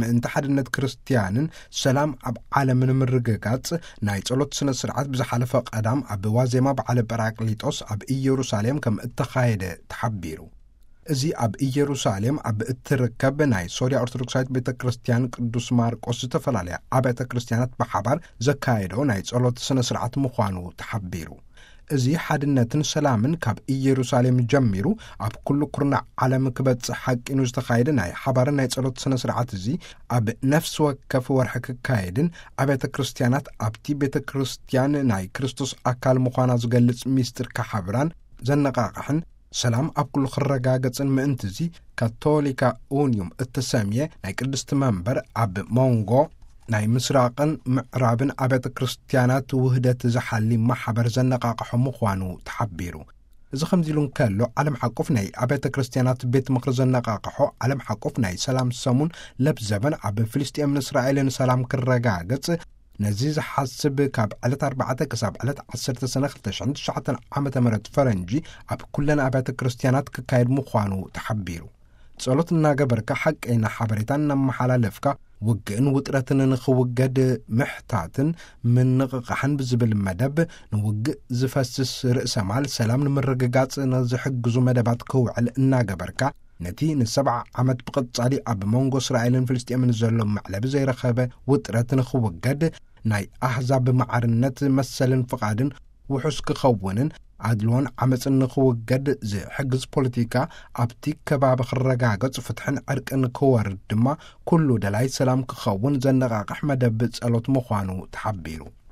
ምእንቲ ሓድነት ክርስትያንን ሰላም ኣብ ዓለምን ምርግጋጽ ናይ ጸሎት ስነ ስርዓት ብዝሓለፈ ቀዳም ኣብ ዋዜማ በዓለ ጳራቅሊጦስ ኣብ ኢየሩሳሌም ከም እተኻየደ ተሓቢሩ። እዚ ኣብ ኢየሩሳሌም ኣብ እትርከብ ናይ ሶርያ ኦርቶዶክሳዊት ቤተ ክርስትያን ቅዱስ ማርቆስ ዝተፈላለያ ኣብያተ ክርስትያናት ብሓባር ዘካየዶ ናይ ጸሎት ስነ ስርዓት ምዃኑ ተሓቢሩ። እዚ ሓድነትን ሰላምን ካብ ኢየሩሳሌም ጀሚሩ ኣብ ኩሉ ኩርናዕ ዓለም ክበጽሕ ሓቂኑ ዝተኻየደ ናይ ሓባርን ናይ ጸሎት ስነ ስርዓት እዚ ኣብ ነፍሲ ወከፍ ወርሒ ክካየድን ኣብያተ ክርስትያናት ኣብቲ ቤተ ክርስትያን ናይ ክርስቶስ ኣካል ምዃና ዝገልጽ ሚስጥር ክሓብራን ዘነቓቕሕን ሰላም ኣብ ኩሉ ክረጋገጽን ምእንቲ እዚ ካቶሊካ ኡንዩም እተሰምየ ናይ ቅድስቲ መንበር ኣብ መንጎ ናይ ምስራቕን ምዕራብን ኣብያተ ክርስትያናት ውህደት ዝሓሊ ማሕበር ዘነቓቕሖ ምዃኑ ተሓቢሩ። እዚ ከምዚ ኢሉ እንከሎ፣ ዓለም ሓቆፍ ናይ ኣብያተ ክርስትያናት ቤት ምኽሪ ዘነቓቕሖ ዓለም ሓቆፍ ናይ ሰላም ሰሙን ለብዘበን ኣብ ፍልስጤምን እስራኤልን ሰላም ክረጋገጽ ነዚ ዝሓስብ ካብ ዕለት ኣርባዕተ ክሳብ ዕለት ዓሰርተ ሰነ ክልተ ሽሕን ትሽዓተን ዓመተ ምህረት ፈረንጂ ኣብ ኩለን ኣብያተ ክርስትያናት ክካየድ ምዃኑ ተሓቢሩ። ጸሎት እናገበርካ ሓቀይና ሓበሬታ እናመሓላለፍካ ውግእን ውጥረትን ንኽውገድ ምሕታትን ምንቕቓሕን ብዝብል መደብ ንውግእ ዝፈስስ ርእሰ ማል ሰላም ንምርግጋጽ ንዝሕግዙ መደባት ክውዕል እናገበርካ ነቲ ንሰብዓ ዓመት ብቐጻሊ ኣብ መንጎ እስራኤልን ፍልስጤምን ዘሎ መዕለቢ ዘይረኸበ ውጥረት ንኽውገድ ናይ ኣህዛብ ማዕርነት መሰልን ፍቓድን ውሑስ ክኸውንን ኣድልዎን ዓመፅን ንኽውገድ ዝሕግዝ ፖለቲካ ኣብቲ ከባቢ ክረጋገጽ ፍትሕን ዕርቅን ክወርድ ድማ ኩሉ ደላይ ሰላም ክኸውን ዘነቓቕሕ መደብ ጸሎት ምዃኑ ተሓቢሩ።